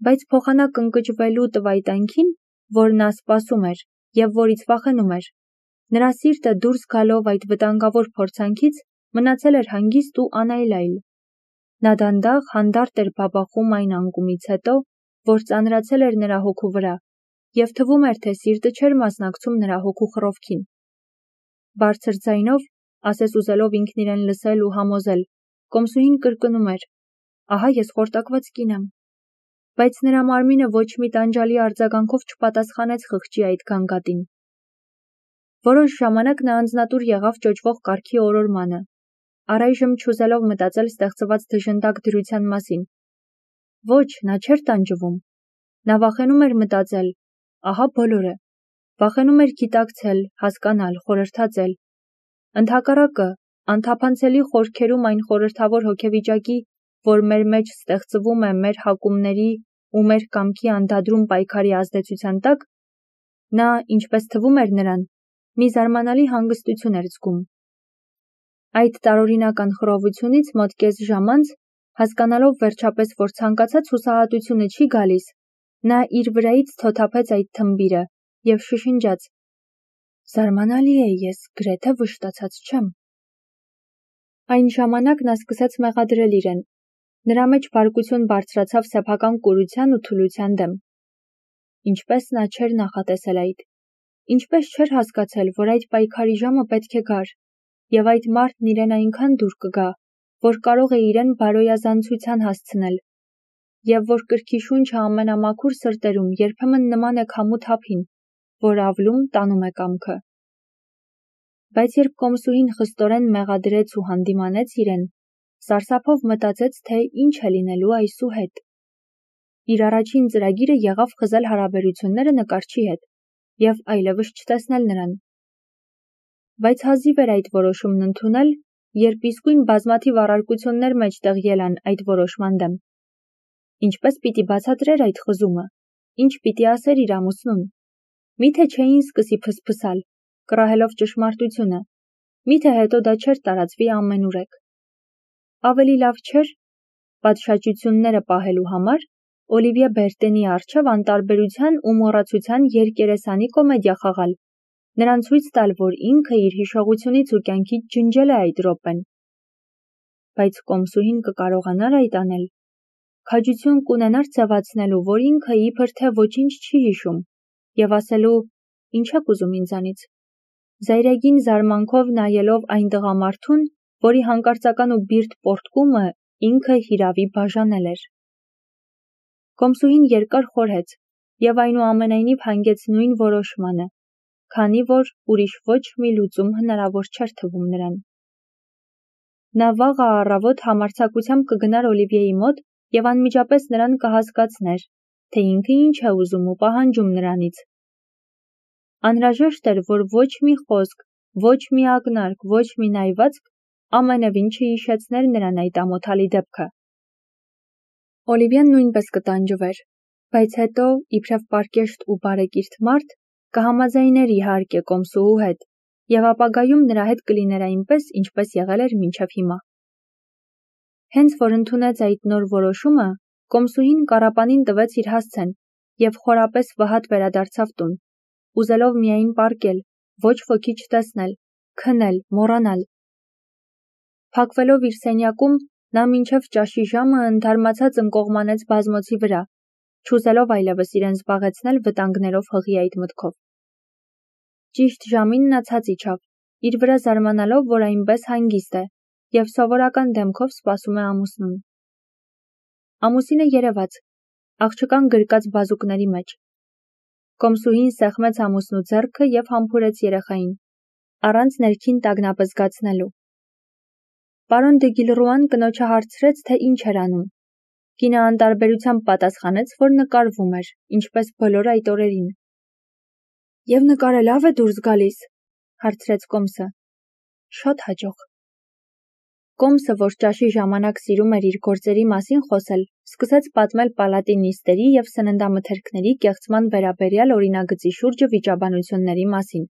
բայց փոխանակ ընկճվելու տվայտանքին, որ նա սպասում էր և որից վախենում էր, նրա սիրտը դուրս գալով այդ վտանգավոր փորձանքից մնացել էր հանգիստ ու անայլայլ։ Նա դանդաղ հանդարտ էր բաբախում այն անկումից հետո, որ ծանրացել էր նրա հոգու վրա, և թվում էր, թե սիրտը չէր մասնակցում նրա հոգու խռովքին։ Բարձր ձայնով, ասես ուզելով ինքն իրեն լսել ու համոզել, կոմսուհին կրկնում էր. «Ահա ես խորտակված կին եմ»։ Բայց նրա մարմինը ոչ մի տանջալի արձագանքով չպատասխանեց խղճի այդ գանգատին։ Որոշ ժամանակ նա անձնատուր եղավ ճոճվող կառքի օրորմանը, առայժմ չուզելով մտածել ստեղծված դժնդակ դրության մասին։ Ոչ, նա չէր տանջվում։ Նա վախենում էր մտածել, ահա բոլորը։ Վախենում էր գիտակցել, հասկանալ, խորհրդածել։ Ընդհակառակը, անթափանցելի խորքերում այն խորհրդավոր հոգեվիճակի, որ մեր մեջ ստեղծվում է մեր հակումների ու մեր կամքի անդադրուն պայքարի ազդեցության տակ, նա, ինչպես թվում էր նրան, մի զարմանալի հանգստություն էր զգում։ Այդ տարօրինական խռովությունից մոտ կես ժամ անց, հասկանալով վերջապես, որ ցանկացած հուսահատությունը չի գալիս, նա իր վրայից թոթափեց այդ թմբիրը և շշնջաց. «Զարմանալի է, ես գրեթե վշտացած չեմ»։ Այն ժամանակ նա սկսեց մեղադրել իրեն։ Նրա մեջ բարկություն բարձրացավ սեփական կուրության ու թուլության դեմ։ Ինչպես նա չէր նախատեսել այդ։ Ինչպես չէր հասկացել, որ այդ պայքարի ժամը պետք է գար, և այդ մարդն իրեն այնքան դուր կգա, որ կարող է իրեն բարոյազանցության հասցնել, և որ կրքի շունչը ամենամաքուր սրտերում երբեմն նման է քամու թափին, որ ավլում տանում է կամքը։ Բայց երբ կոմսուհին խստորեն մեղադրեց ու հանդիմանեց իրեն, սարսափով մտածեց, թե ինչ է լինելու այսուհետ։ Իր առաջին ծրագիրը եղավ խզել հարաբերությունները նկարչի հետ և այլևս չտեսնել նրան։ Բայց հազիվ էր այդ որոշումն ընդունել, երբ իսկույն բազմաթիվ առարկություններ մեջտեղ ելան այդ որոշման դեմ։ Ինչպես պիտի բացատրեր այդ խզումը, ինչ պիտի ասեր իր ամուսնուն։ Միթե չէին սկսի փսփսալ, կռահելով ճշմարտությունը, միթե հետո դա չէր տարածվի ամենուրեք։ Ավելի լավ չէր, պատշաճությունները պահելու համար, Օլիվիե Բերտենի առջև անտարբերության ու մոռացության երկերեսանի կոմեդիա խաղալ, նրան ցույց տալ, որ ինքը իր հիշողությունից ու կյանքից ջնջել է այդ րոպեն։ Բայց կոմսուհին կկարողանար այդ անել։ Քաջություն կունենար ձևացնելու, որ ինքը իբր թե ոչինչ չի հիշում, և ասելու. «Ինչ եք ուզում ինձանից»։ Զայրագին զարմանքով նայելով այն տղամարդուն, որի հանկարծական ու բիրտ պոռթկումը ինքը հիրավի բաժանել էր։ Կոմսուհին երկար խորհեց և այնուամենայնիվ հանգեց նույն որոշմանը, քանի որ ուրիշ ոչ մի լուծում հնարավոր չէր թվում նրան։ Նա վաղը առավոտ համարձակությամբ կգնար Օլիվիեի մոտ և անմիջապես նրան կհասկացներ, թե ինքը ինչ է ուզում ու պահանջում նրանից։ Անհրաժեշտ էր, որ ոչ մի խոսք, ոչ մի ակնարկ, ոչ մի նայվածք ամենևին չհիշեցներ նրան այդ ամոթալի դեպքը։ Օլիվիեն նույնպես կտանջվեր, բայց հետո, իբրև պարկեշտ ու բարեկիրթ մարդ, կհամաձայներ իհարկե կոմսուհու հետ, և ապագայում նրա հետ կլիներ այնպես, ինչպես եղել էր մինչև հիմա։ Հենց որ ընդունեց այդ նոր որոշումը, կոմսուհին կառապանին տվեց իր հասցեն և խորապես վհատ վերադարձավ տուն, ուզելով միայն պառկել, ոչ ոքի չտեսնել, քնել, մոռանալ։ Փակվելով իր սենյակում, նա մինչև ճաշի ժամը ընդհարմացած ընկողմանեց բազմոցի վրա, չուզելով այլևս իրեն զբաղեցնել վտանգներով հղի այդ մտքով։ Ճիշտ ժամին նա ցած իջավ, իր վրա զարմանալով, որ այնպես հանգիստ է, և սովորական դեմքով սպասում է ամուսնուն։ Ամուսինը երևաց, աղջկան գրկած բազուկների մեջ։ Կոմսուհին սեղմեց ամուսնու ձեռքը և համբուրեց երեխային, առանց ներքին տագնապը զգացնելու։ Պարոն դը Գիլռուան կնոջը հարցրեց, թե ինչ էր անում։ Կինը անտարբերությամբ պատասխանեց, որ նկարվում էր, ինչպես բոլոր այդ օրերին։ «Եվ նկարը լավ է դուրս գալիս», հարցրեց կոմսը։ «Շատ հաջող»։ Կոմսը, որ ճաշի ժամանակ սիրում էր իր գործերի մասին խոսել, սկսեց պատմել պալատի նիստերի և սննդամթերքների կեղծման վերաբերյալ օրինագծի շուրջը վիճաբանությունների մասին։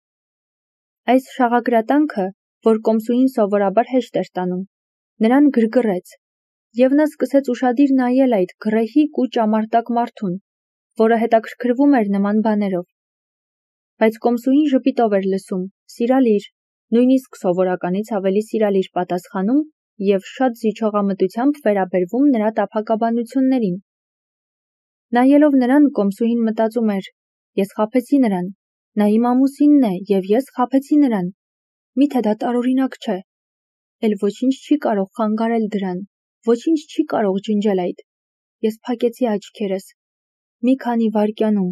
Այս շաղագրատանքը, որ կոմսուհին սովորաբար հեշտ էր տանում, նրան գրգռեց, Եվ նա սկսեց ուշադիր նայել այդ գռեհիկ ու ճամարտակ մարդուն, որը հետաքրքրվում էր նման բաներով։ Բայց կոմսուհին ժպիտով էր լսում, սիրալիր, նույնիսկ սովորականից ավելի սիրալիր պատասխանում և շատ զիջողամտությամբ վերաբերվում նրա տափակաբանություններին։ Նայելով նրան, կոմսուհին մտածում էր. ես խաբեցի նրան, նա իմ ամուսինն է և ես խաբեցի նրան, միթե դա տարօրինակ չէ, էլ ոչինչ չի կարող խանգարել դրան, ոչինչ չի կարող ջնջել այդ։ Ես փակեցի աչքերս։ Մի քանի վայրկյանում,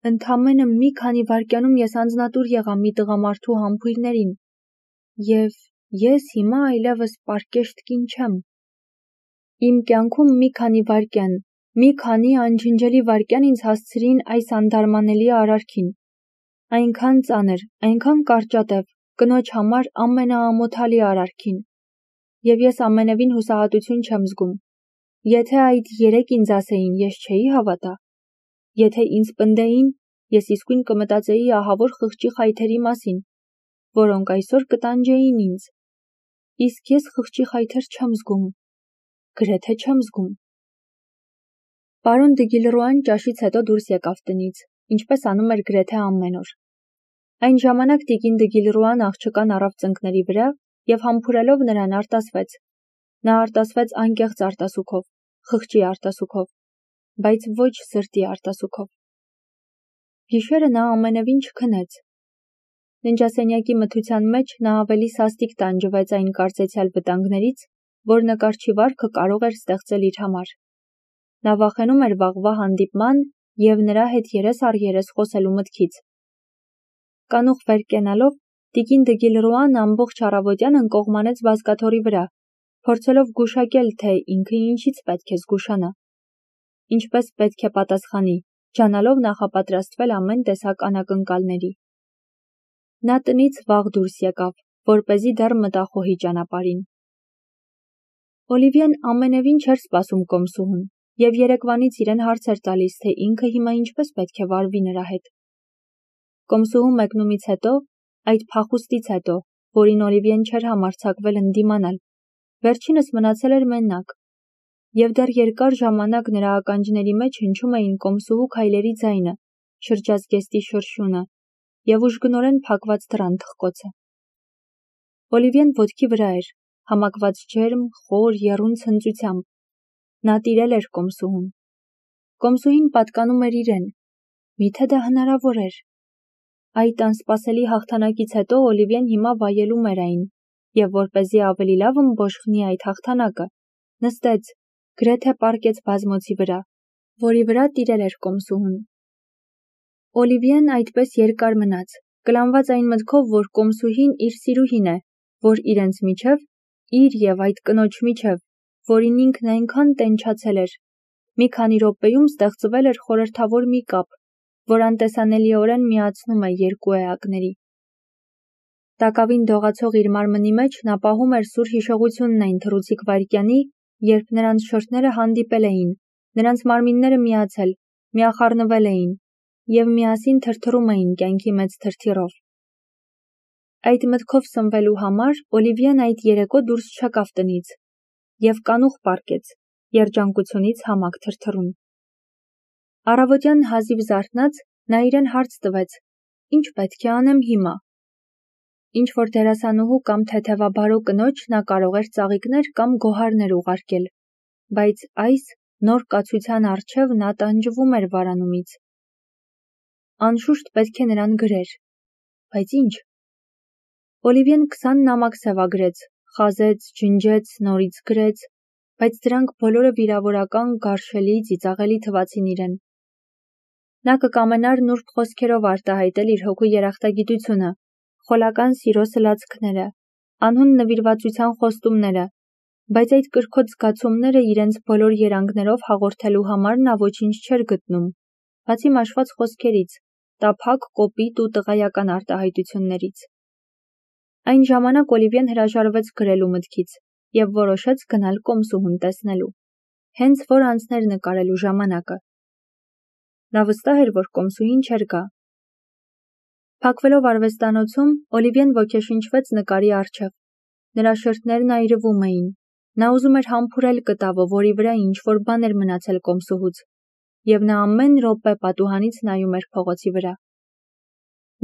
ընդամենը մի քանի վայրկյանում ես անձնատուր եղա մի տղամարդու համբույրներին, և ես հիմա այլևս պարկեշտ կին չեմ։ Իմ կյանքում մի քանի վայրկյան, մի քանի անջնջելի վայրկյան ինձ հասցրին այս անդարմանելի արարքին։ Այնքան ծանր, այնքան կարճատև, կնոջ համար ամենաամոթալի արարքին։ Եվ ես ամենևին հուսահատություն չեմ զգում։ Եթե այդ երեկ ինձ ասեին, ես չէի հավատա։ Եթե ինձ պնդեին, ես իսկույն կմտածեի ահավոր խղճի խայթերի մասին, որոնք այսօր կտանջեին ինձ։ Իսկ ես խղճի խայթեր չեմ զգում, գրեթե չեմ զգում։ Պարոն Դգիլռուան ճաշից հետո դուրս եկավ տնից, ինչպես անում էր գրեթե ամեն օր։ Այն ժամանակ տիկին Դգիլռուան աղջկան առավ ծնկների վրա և համբուրելով նրան արտասվեց։ Նա արտասվեց անկեղծ արտասուքով, խղճի արտասուքով, բայց ոչ սրտի արտասուքով։ Գիշերը նա ամենևին չքնեց։ Ննջասենյակի մթության մեջ նա ավելի սաստիկ տանջվեց այն կարծեցյալ վտանգներից, որ նկարչի վարքը կարող էր ստեղծել իր համար։ Նա վախենում էր վաղվա հանդիպման և նրա հետ երես առ երես խոսելու մտքից։ Կանուխ վեր կենալով, տիկին Դգիլռուան ամբողջ առավոտյան ընկողմանեց բազկաթոռի վրա, փորձելով գուշակել, թե ինքը ինչից պետք է զգուշանա, ինչպես պետք է պատասխանի, ջանալով նախապատրաստվել ամեն տեսակ անակնկալների։ Նա տնից վաղ դուրս եկավ, որպեսզի դեռ մտախոհի ճանապարհին։ Օլիվիեն ամենևին չէր սպասում կոմսուհուն և երեկվանից իրեն հարց էր տալիս, թե ինքը հիմա ինչպես պետք է վարվի նրա հետ։ Կոմսուհու մեկնումից հետո, այդ փախուստից հետո, որին Օլիվիեն չէր համարձակվել ընդդիմանալ, վերջինս մնացել էր մենակ, և դեռ երկար ժամանակ նրա ականջների մեջ հնչում էին կոմսուհու քայլերի ձայնը, շրջազգեստի շրշյունը և ուժգնորեն փակված դռան թխկոցը։ Օլիվիեն ոտքի վրա էր, համակված ջերմ, խոր, եռուն ցնծությամբ։ Նա տիրել էր կոմսուհուն։ Կոմսուհին պատկանում էր իրեն։ Միթե դա հնարավոր էր։ Այդ անսպասելի հաղթանակից հետո Օլիվիեն հիմա վայելում էր այն, և որպեսզի ավելի լավ ըմբոշխնի այդ հաղթանակը, նստեց, գրեթե պառկեց բազմոցի վրա, որի վրա տիրել էր կոմսուհուն։ Օլիվիեն այդպես երկար մնաց, կլանված այն մտքով, որ կոմսուհին իր սիրուհին է, որ իրենց միջև, իր և այդ կնոջ միջև, որին ինքն այնքան տենչացել էր, մի քանի րոպեում ստեղծվել էր խորհրդավոր մի կապ, որ անտեսանելիորեն միացնում է երկու էակների։ Տակավին դողացող իր մարմնի մեջ նա պահում էր սուր հիշողությունն այն թռուցիկ վայրկյանի, երբ նրանց շրթները հանդիպել էին, նրանց մարմինները միացել, միախառնվել էին և միասին թրթռում էին կյանքի մեծ թրթիռով։ Այդ մտքով սնվելու համար Օլիվիեն այդ երեկո դուրս չեկավ տնից և կանուխ պառկեց, երջանկությունից համակ թրթռում։ Առավոտյան հազիվ զարթնած, նա իրեն հարց տվեց. ինչ պետք է անեմ հիմա։ Ինչ-որ դերասանուհու կամ թեթևաբարո կնոջ նա կարող էր ծաղիկներ կամ գոհարներ ուղարկել, բայց այս նոր կացության առջև նա տանջվում էր վարանումից։ Անշուշտ պետք է նրան գրեր։ Բայց ինչ։ Օլիվիեն 20 նամակ սևագրեց, խազեց, ջնջեց, նորից գրեց, բայց դրանք բոլորը վիրավորական, գարշելի, ծիծաղելի թվացին իրեն։ Նա կկամենար նուրբ խոսքերով արտահայտել իր հոգու երախտագիտությունը, խոլական սիրո սլացքները, անհուն նվիրվածության խոստումները, բայց այդ կրքոտ զգացումները իրենց բոլոր երանգներով հաղորդելու համար նա ոչինչ չէր գտնում, բացի մաշված խոսքերից, տափակ, կոպիտ ու տղայական արտահայտություններից։ Այն ժամանակ Օլիվիեն հրաժարվեց գրելու մտքից և որոշեց գնալ կոմսուհուն տեսնելու, հենց որ անցներ նկարելու ժամանակը։ Նա վստահ էր, որ կոմսուհին չէր գա։ Փակվելով արվեստանոցում, Օլիվիեն ոգեշնչվեց նկարի առջև։ Նրա շրթներն այրվում էին, Նա ուզում էր համբուրել կտավը, որի վրա ինչ-որ բան էր մնացել կոմսուհուց, և նա ամեն րոպե պատուհանից նայում էր փողոցի վրա։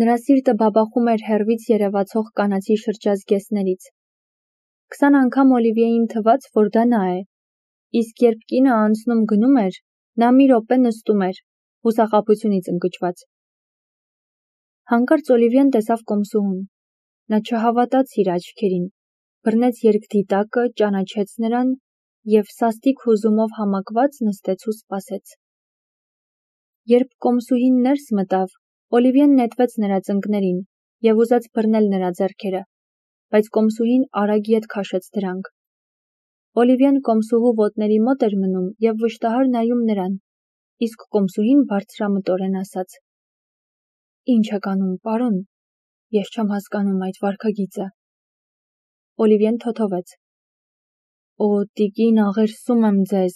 Նրա սիրտը բաբախում էր հեռվից երևացող կանացի շրջազգեստներից։ 20 անգամ Օլիվիեին թվաց, որ դա նա է, իսկ երբ կինը անցնում գնում էր, նա մի րոպե նստում էր, հուսախաբությունից ընկճված։ Հանկարծ Օլիվիեն տեսավ կոմսուհուն։ Նա չհավատաց իր աչքերին, բռնեց երկդիտակը, ճանաչեց նրան և սաստիկ հուզումով համակված նստեց ու սպասեց։ Երբ կոմսուհին ներս մտավ, Օլիվիեն նետվեց նրա ծնկներին և ուզեց բռնել նրա ձեռքերը, բայց կոմսուհին արագ ետ քաշեց դրանք։ Օլիվիեն կոմսուհու ոտների մոտ էր մնում և վշտահար նայում նրան, իսկ կոմսուհին բարձրամտորեն ասաց. «Ինչ եք անում, պարոն, ես չեմ հասկանում այդ վարքագիծը»։ Օլիվիեն թոթովեց. «Օ, տիկին, աղերսում եմ ձեզ»։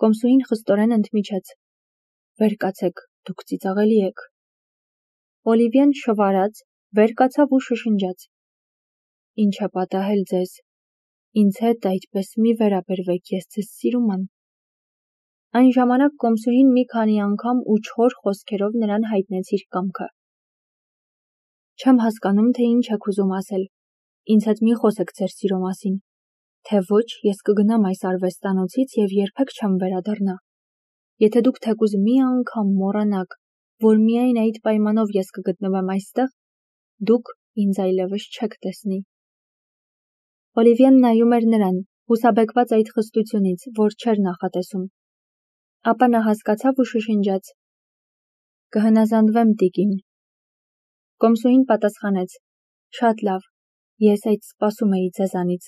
Կոմսուհին խստորեն ընդմիջեց. «Վեր կացեք, դուք ծիծաղելի եք»։ Օլիվիեն շվարած, վեր կացավ ու շշնջաց. «Ինչ է պատահել ձեզ, ինձ հետ այդպես մի վերաբերվեք, ես ձեզ սիրում եմ»։ Այն ժամանակ կոմսուհին մի քանի անգամ ու չոր խոսքերով նրան հայտնեց իր կամքը։ «Չեմ հասկանում, թե ինչ եք ուզում ասել, ինձ հետ մի խոսեք ձեր սիրո մասին, թե ոչ ես կգնամ այս արվեստանոցից և երբեք չեմ վերադառնա։ Եթե դուք թեկուզ մի անգամ մոռանաք, որ միայն այդ պայմանով ես կգտնվեմ այստեղ, դուք ինձ այլևս չեք տեսնի»։ Օլիվիեն նայում էր նրան, հուսաբեկված այդ խստությունից, որ չէր նախատեսում։ Ապա նա հասկացավ ու շշնջաց. «Կհնազանդվեմ, տիկին»։ Կոմսուհին պատասխանեց. «Շատ լավ, ես այդ սպասում էի ձեզանից։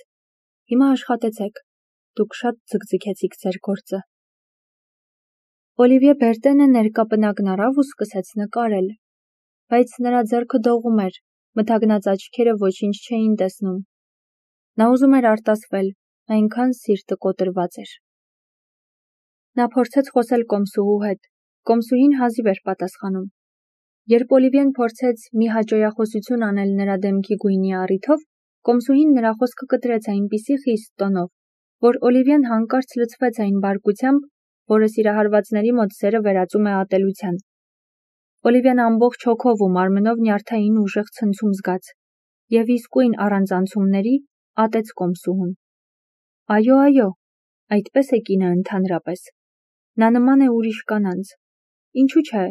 Հիմա աշխատեցեք, դուք շատ ձգձգեցիք ձեր գործը»։ Օլիվիե Բերտենը ներկապնակն առավ ու սկսեց նկարել, բայց նրա ձեռքը դողում էր, մթագնած աչքերը ոչինչ չէին տեսնում։ Նա ուզում էր արտասվել, այնքան սիրտը կոտրված էր։ Նա փորձեց խոսել կոմսուհու հետ, կոմսուհին հազիվ էր պատասխանում։ Երբ Օլիվիեն փորձեց մի հաճոյախոսություն անել նրա դեմքի գույնի առիթով, կոմսուհին նրա խոսքը կտրեց այնպիսի խիստ տոնով, որ Օլիվիեն հանկարծ լցվեց այն բարկությամբ, որը սիրահարվածների մոտ սերը վերածում է ատելության։ Օլիվիան ամբողջ հոգով ու մարմնով նյարդային ուժեղ ցնցում զգաց, և իսկույն առանց անցումների ատեց կոմսուհուն։ Այո, այդպես է կինը ընդհանրապես։ Նա նման է ուրիշ կանանց։ Ինչու՞ չէ,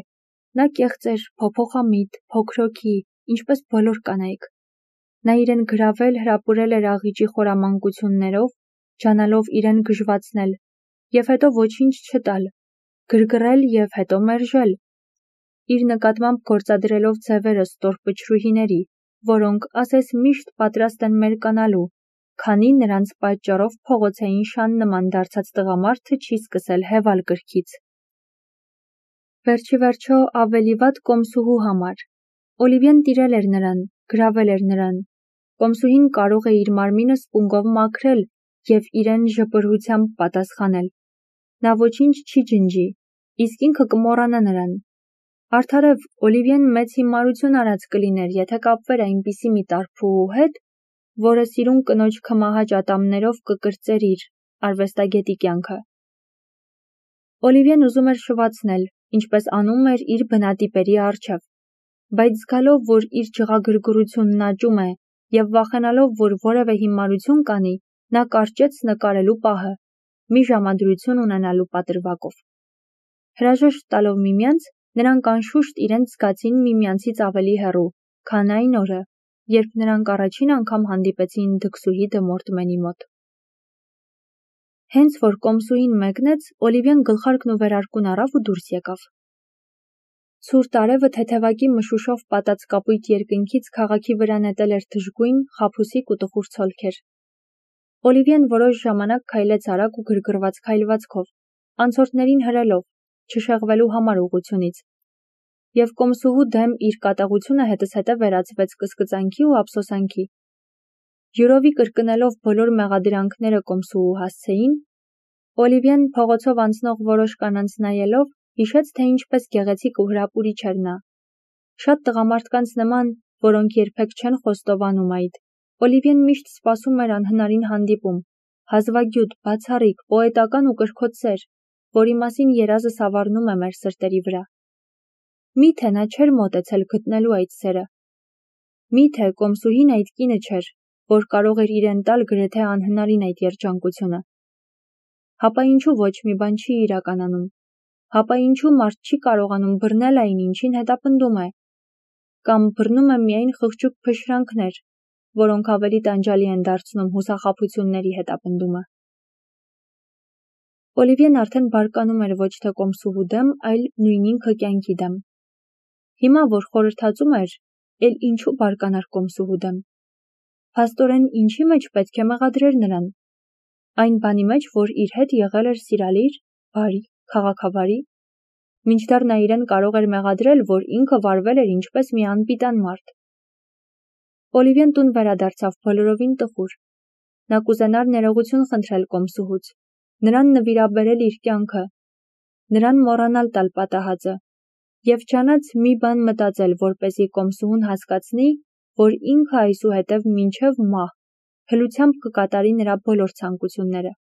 նա կեղծ էր, փոփոխամիտ, փոքրոքի, ինչպես բոլոր կանայք։ Նա իրեն գրավել, հրապուրել էր աղիճի խորամանկություններով, ջանալով իրեն գժվացնել, և հետո ոչինչ չտալ, գրգռել և հետո մերժել, իր նկատմամբ գործադրելով ձևերը ստորպչրուհիների, որոնք, ասես միշտ պատրաստ են մերկանալու, քանի նրանց պատճառով փողոցային շան նման դարձած տղամարդը չի սկսել հևալ կրքից։ Վերջի վերջո ավելի վատ կոմսուհու համար։ Օլիվիեն տիրել էր նրան, գրավել էր նրան։ Կոմսուհին կարող է իր մարմինը սպունգով մաքրել և իրեն ժպրությամբ պատասխանել։ Նա ոչինչ չի ջնջի, իսկ ինքը կմոռանա նրան։ Արդարև, Օլիվիեն մեծ հիմարություն արած կլիներ, եթե կապվեր այնպիսի մի տարփուհու հետ, որը սիրուն կնոջ քմահաճ ատամներով կկրծեր իր արվեստագետի կյանքը։ Օլիվիեն ուզում էր շվացնել, ինչպես անում էր իր բնատիպերի առջև, բայց զգալով, որ իր ջղագրգռությունն աճում է և վախենալով, որ որևէ հիմարություն կանի, նա կարճեց նկարելու պահը, մի ժամադրություն ունենալու պատրվակով։ Հրաժեշտ տալով միմյանց, նրանք անշուշտ իրենց զգացին միմյանցից ավելի հեռու, քան այն օրը, երբ նրանք առաջին անգամ հանդիպեցին դքսուհի Դմորտմենի մոտ։ Հենց որ կոմսուհին մեկնեց, Օլիվիեն գլխարկն ու վերարկուն առավ ու դուրս եկավ։ Ցուրտ արևը թեթևակի մշուշով պատած կապույտ երկնքից քաղաքի վրա նետել էր դժգույն, խաբուսիկ ու տխուր ցոլքեր։ Օլիվիեն որոշ ժամանակ քայլեց արագ ու գրգռված քայլվածքով, անցորդներին հրելով, չշեղվելու համար ուղղությունից, և կոմսուհու դեմ իր կատաղությունը հետզհետե վերածվեց կսկծանքի ու ափսոսանքի։ Ջուրովի կրկնելով բոլոր մեղադրանքները կոմսուհու հասցեին, Օլիվիեն փողոցով անցնող որոշ կանանց նայելով, հիշեց, թե ինչպես գեղեցիկ ու հրապուրիչ էր նա։ Շատ տղամարդկանց նման, որոնք երբեք չեն խոստովանում այդ, Օլիվիեն միշտ սպասում էր անհնարին հանդիպում, հազվագյուտ, բացառիկ, պոետական ու կրքոտ սեր, որի մասին երազը սավառնում է մեր սրտերի վրա։ Միթե նա չէր մոտեցել գտնելու այդ սերը։ Միթե կոմսուհին այդ կինը չէր, որ կարող էր իրեն տալ գրեթե անհնարին այդ երջանկությունը։ Հապա ինչու ոչ մի բան չի իրականանում։ Հապա ինչու մարդ չի կարողանում բռնել այն, ինչին հետապնդում է։ Կամ բռնում է միայն խղճուկ փշրանքներ, որոնք ավելի տանջալի են դարձնում հուսախաբությունների հետապնդումը։ Օլիվիեն արդեն բարկանում էր ոչ թե կոմսուհու դեմ, այլ նույն ինքը կյանքի դեմ։ Հիմա, որ խորհրդածում էր, էլ ինչու բարկանար կոմսուհու դեմ։ Փաստորեն ինչի մեջ պետք է մեղադրեր նրան։ Այն բանի մեջ, որ իր հետ եղել էր սիրալիր, բարի, քաղաքավարի։ Մինչդեռ նա իրեն կարող էր մեղադրել, որ ինքը վարվել էր ինչպես մի անպիտան մարդ։ Օլիվիեն տուն վերադարձավ բոլորովին տխուր։ Նա կուզենար ներողություն խնդրել կոմսուհուց, նրան նվիրաբերել իր կյանքը, նրան մոռանալ տալ պատահածը, և չանաց մի բան մտածել, որպեսզի կոմսուհուն հասկացնի, որ ինքը այսուհետև մինչև մահ հլությամբ կկատարի նրա բոլոր ցանկությունները։